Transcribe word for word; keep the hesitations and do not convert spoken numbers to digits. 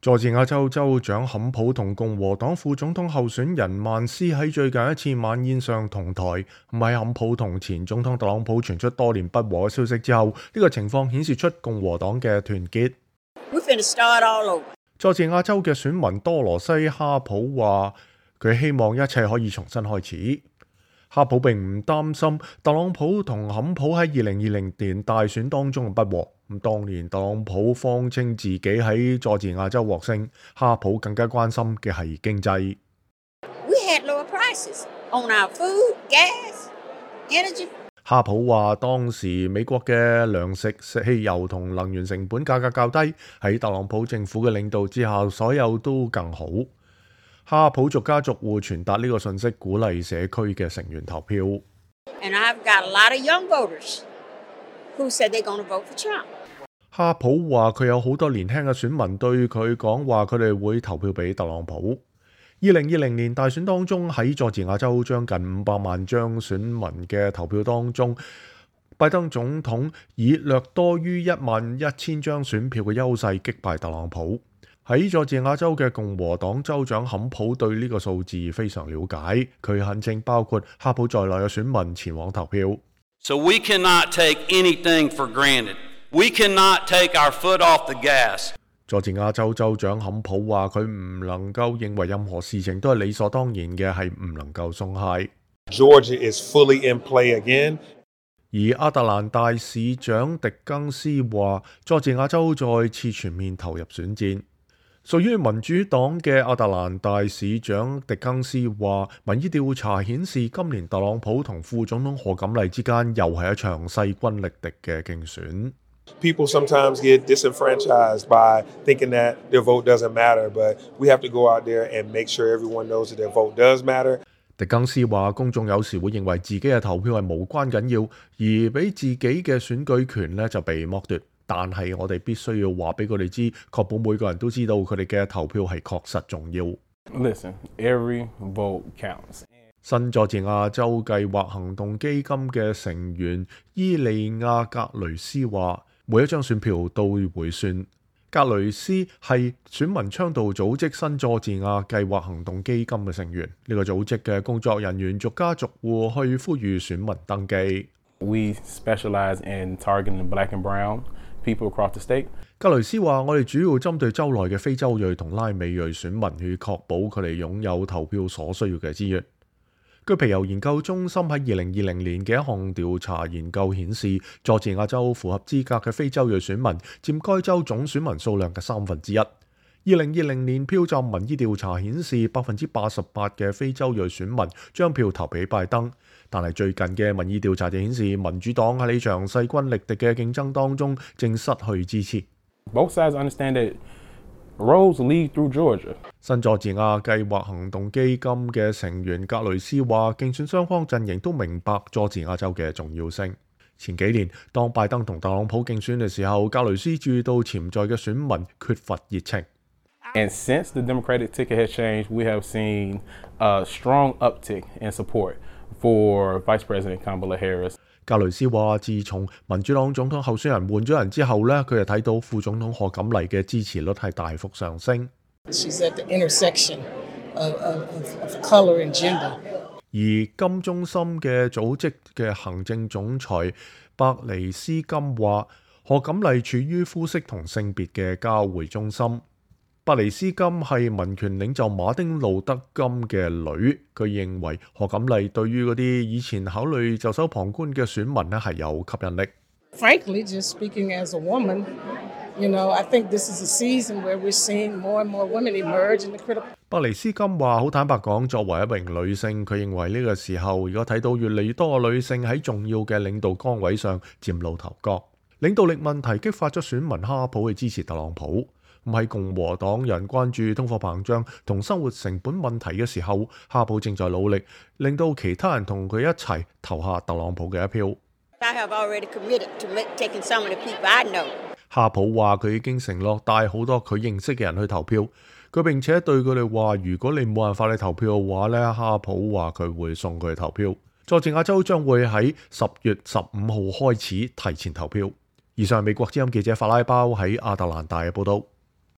佐治亞州州長坎普同共和黨副總統候選人曼斯喺最近一次晚宴上同台，喺坎普同前總統特朗普傳出多年不和嘅消息之後，呢、這個情況顯示出共和黨嘅團結。佐治亞州嘅選民多羅西哈普話，佢希望一切可以重新開始。哈普並唔擔心特朗普同坎普喺二零二零年大選當中嘅不和。咁當年特朗普謊稱自己喺佐治亞州獲勝，哈普更加關心嘅係經濟。We had lower prices on our food, gas, energy. 哈普話當時美國嘅糧食、汽油同能源成本價格較低，喺特朗普政府嘅領導之下，所有都更好。哈普逐家逐戶傳達呢個信息，鼓勵社區嘅成員投票。And I've got a lot of young voters who said they're going to vote for Trump. 哈普話佢有好多年輕嘅選民對佢講話，佢哋會投票俾特朗普。二零二零年大選當中，喺佐治亞州將近五百萬張選民嘅投票當中，拜登總統以略多於一萬一千張選票嘅優勢擊敗特朗普。喺佐治亞州嘅共和黨州長坎普對呢個數字非常了解，佢懇請包括哈普在內嘅選民前往投票。So we cannot take anything for granted. We cannot take our foot off the gas. 佐治亞州州長坎普話：佢唔能夠認為任何事情都係理所當然嘅，係唔能夠鬆懈。Georgia is fully in play again. 而亞特蘭大市長狄更斯話：佐治亞州再次全面投入選戰。屬於民主黨嘅亞特蘭大市長狄更斯話：民意調查顯示今年特朗普同副總統賀錦麗之間又係一場勢均力敵嘅競選。People sometimes get disenfranchised by thinking that their vote doesn't matter, but we have to go out there and make sure everyone knows that their vote does matter. 狄更斯話：公眾有時會認為自己嘅投票係無關緊要，而俾自己嘅選舉權呢就被剝奪。但係我哋必須要話俾佢哋知，確保每個人都知道佢哋嘅投票係確實重要。Listen, every vote counts. 新佐治亞州計劃行動基金嘅成員伊利亞格雷斯話：每一張選票都會算。格雷斯係選民倡導組織新佐治亞計劃行動基金嘅成員，呢、這個組織嘅工作人員逐家逐戶去呼籲選民登記。We specialize in targeting black and brown people across the state. 格雷斯話：我哋主要針對州內嘅非洲裔同拉美裔選民，去確保佢哋擁有投票所需要嘅資源。據皮尤研究中心喺二零二零年嘅一項調查研究顯示，佐治亞州符合資格嘅非洲裔選民佔該州總選民數量嘅三分之一。二零二零年票站民意調查顯示，百分之八十八嘅非洲裔選民將票投俾拜登，但係最近嘅民意調查就顯示，民主黨喺呢場勢均力敵嘅競爭當中正失去支持。Both sides understand that roads lead through Georgia. 新佐治亞計劃行動基金嘅成員格雷斯話：競選雙方陣營都明白佐治亞州嘅重要性。前幾年，當拜登同特朗普競選嘅時候，格雷斯注意到潛在嘅選民缺乏熱情。And since the Democratic ticket has changed, we have seen a strong uptick in support for Vice President Kamala Harris. 格雷斯話：自從民主黨總統候選人換咗人之後呢，佢就睇到副總統賀錦麗嘅支持率係大幅上升。She's at the intersection of, of, of color and gender. 而金中心嘅組織嘅行政總裁伯尼斯金話：賀錦麗處於膚色同性別嘅交匯中心。伯尼斯金係民權領袖馬丁路德金嘅女，佢認為賀錦麗對於嗰啲以前考慮袖手旁觀嘅選民呢係有吸引力。Frankly, just speaking as a woman, you know, I think this is a season where we're seeing more and more women emerge in the critical. 伯尼斯金話：好坦白講，作為一名女性，佢認為呢個時候如果睇到越嚟越多嘅女性喺重要嘅領導崗位上嶄露頭角，領導力問題激發咗選民哈普去支持特朗普。咁喺共和黨人關注通貨膨脹同生活成本問題嘅時候，哈普正在努力令到其他人同佢一齊投下特朗普嘅一票。I have already committed to taking some of the people I know. 哈普話佢已經承諾帶好多佢認識嘅人去投票，佢並且對佢哋話：如果你冇辦法去投票嘅話呢，哈普話佢會送佢去投票。佐治亞州將會喺十月十五號開始提前投票。以上係美國之音記者法拉包喺亞特蘭大嘅報導。